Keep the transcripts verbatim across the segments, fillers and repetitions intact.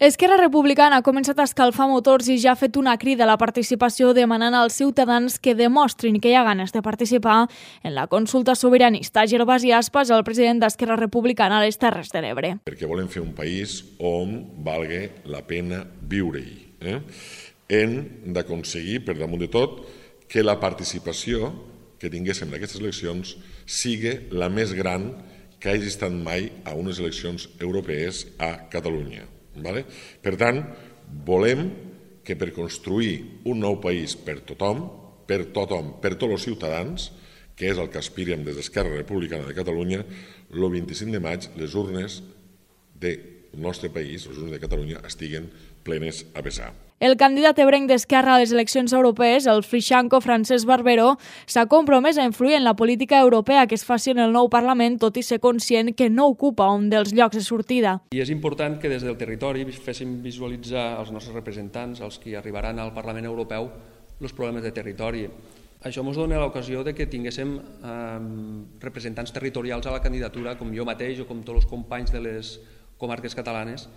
Esquerra Republicana ha començat a escalfar motors i ja ha fet una crida a la participació demanant als ciutadans que demostrin que hi ha ganes de participar en la consulta sobiranista. Gervasi Aspas, el president d'Esquerra Republicana a les Terres de l'Ebre. Perquè volem fer un país on valga la pena viure-hi. Eh? Hem d'aconseguir, per damunt de tot, que la participació que tinguéssim en aquestes eleccions sigui la més gran que hagi estat mai a unes eleccions europees a Catalunya. Vale? Per tant, volem que per construir un nou país per tothom, per tothom, per tots els ciutadans, que és el que aspirem des d'Esquerra Republicana de Catalunya, el vint-i-cinc de maig les urnes del nostre país, les urnes de Catalunya, estiguen plenes a vessar. El candidat ebrenc d'Esquerra a les eleccions europees, el frixanco Francesc Barbero, s'ha compromès a influir en la política europea que es faci en el nou Parlament, tot i ser conscient que no ocupa un dels llocs de sortida. I és important que des del territori féssim visualitzar als nostres representants, els que arribaran al Parlament Europeu, els problemes de territori. Això ens dona l'ocasió de que tinguéssim eh, representants territorials a la candidatura, com jo mateix o com tots els companys de les comarques catalanes,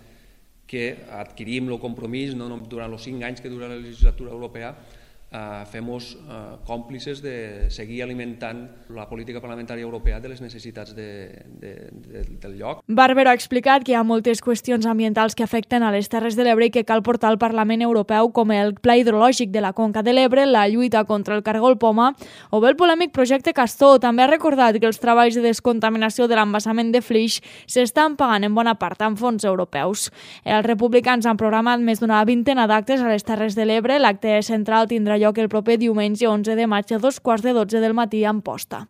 que adquirim el compromís no, durant els cinc anys que dura la legislatura europea, eh, fem-nos eh, còmplices de seguir alimentant la política parlamentària europea de les necessitats de, de, de, del lloc. Barbero ha explicat que hi ha moltes qüestions ambientals que afecten a les Terres de l'Ebre i que cal portar al Parlament Europeu, com el Pla Hidrològic de la Conca de l'Ebre, la lluita contra el cargol poma o bé el polèmic projecte Castor. També ha recordat que els treballs de descontaminació de l'embassament de Flix s'estan pagant en bona part amb fons europeus. Els republicans han programat més d'una vintena d'actes a les Terres de l'Ebre. L'acte central tindrà lloc el proper diumenge onze de maig a dos quarts de dotze del matí a Amposta.